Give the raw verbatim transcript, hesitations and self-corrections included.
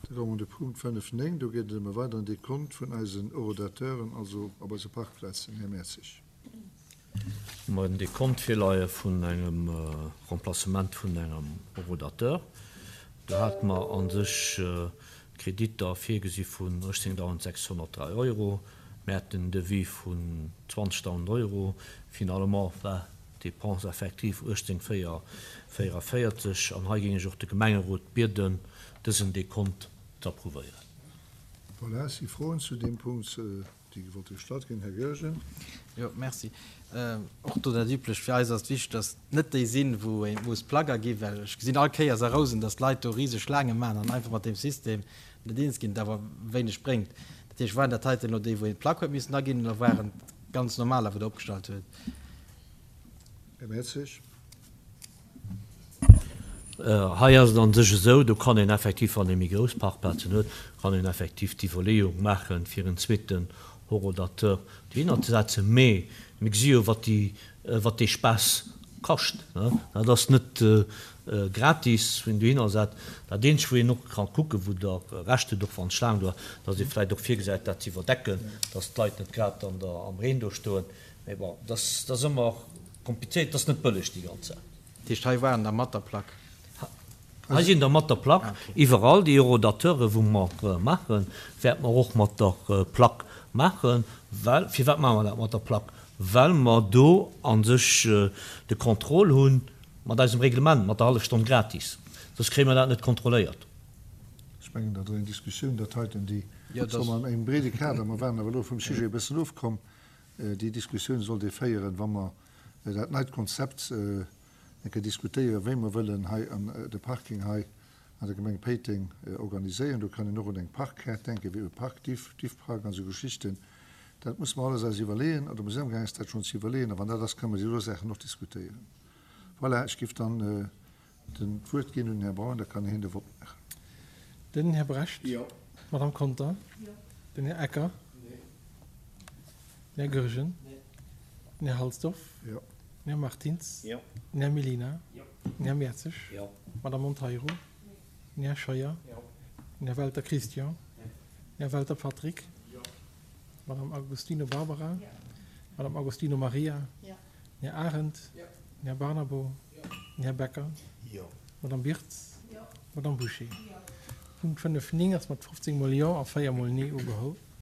Da komme mer un de Punkt fënnef néng. Do geet et ëm e weideren Dekont vun eisen Horodateuren, also op eise Parkplazen. Här Mertzig. Mer en Dekont virleie vun engem Remplacement vun engem Horodateur. Do hate mer a sech Kreditter virgesi vun uechtzéngtausendsechshonnertdräi Euro. Mir haten en Devis vun zwanzegtausend Euro. Finalement war d'Dépense effective uechtzéng véier véierunvéierzeg. An hei géing ech och de Gemengerot bieden, dësen Dekont z'approuvéieren. Voilà, si Froen zu deem Punkt, déi gewollte gestallt ginn? Här Goergen. Jo, merci. Och do dat Üblecht, fir eis ass et wichteg, dass et net déi sinn, wou ee muss Plack aginn, well ech gesinn all Kéiers a Rousen, dass d'Leit do riseg Schlaange maachen an einfach mat deem System net eens ginn, et awer wéineg bréngt. Dat heescht, waren dat heiten elo déi, wou een d'Plack huet missen aginn, oder waren et ganz normaler, wou Der opgestallt huet? Här Mertzig. Hei ass et a sech esou, do kann een effektiv, wann ee méi grouss Parkplazen huet, kann een effektiv d'Iwwerleeung maachen, fir en zweeten Horodateur dohinner ze setzen. Mee mir gesi jo, wat déi, wat dee Spaass kascht. Dat ass net gratis, wou een dohinner setzt. Dat Eenzegt, wou een och ka kucken, wou Der Recht hutt, och wann d'Schlaang do ass, datt ee vläicht och virgesäit, dat ze iwwerdecken, datt d'Leit net grad an der, am Reen do stoen. Mee bon, dat ass ëmmer komplizéiert, dat ass net bëlleg, déi ganz Saach. Dat heescht, hei waren der mat der Plack? Hei sinn der mat der Plack. Iwwerall déi Horodateure wou mer maachen, wäerte mer och mat der Plack maachen. Well, firwat maache mer dat mat der Plack? Well mer do a sech de Contrôle hu mat eisem Reglement, mat der Hallefstonn gratis. Soss kréie mer dat net kontrolléiert. Ech mengen, dat ass eng Diskussioun, dat heiten, déi soll mer an engem breede Kader, mer waren awer elo vum Sujet e bëssen ofkomm, déi Diskussioun sollt ee féieren, wa mer dat neit Konzept eng Kéier diskutéieren, wéi mer wëllen hei an de Parking hei an der Gemeng Péiteng organiséieren. Do kann een och un eng Parkkaart denken, wéi e Parkdiff, Diffpark an esou Geschichten. Dat musse mer alles eis iwwerleeën, oder mer sinn amgaang eis dat schonn ze iwwerleeën. A wann dat ass, kënnen mer déi do Saachen och diskutéieren. Voilà, ech géif dann den d'Wuert ginn un den Här Braun, da kann hien de Vott maachen. Den Här Brecht. Jo. D'Madame Conter. Jo. Den Här Ecker. Nee. Den Här Goergen. Nee. Den Här Halsdorf. Jo. Den Här Martins. Jo. Den Här Mellina. Jo. Den Här Mertzig. Jo. D'Madame Monteiro. Nee. Den Här Scheuer. Jo. Den Här Welter Christian. Nee. Den Här Welter Patrick. Jo. D'Madame Agostino Barbara. Jo. D'Madame Agostino Maria. Jo. Den Här Arendt. Jo. Den Här Barnabo. Jo. Den Här Becker. Jo. D'Madame Birtz. Jo. D'Madame Bouché. Jo. Punkt fënnef néng ass mat fofzéng mol Jo a véier mol Nee ugeholl.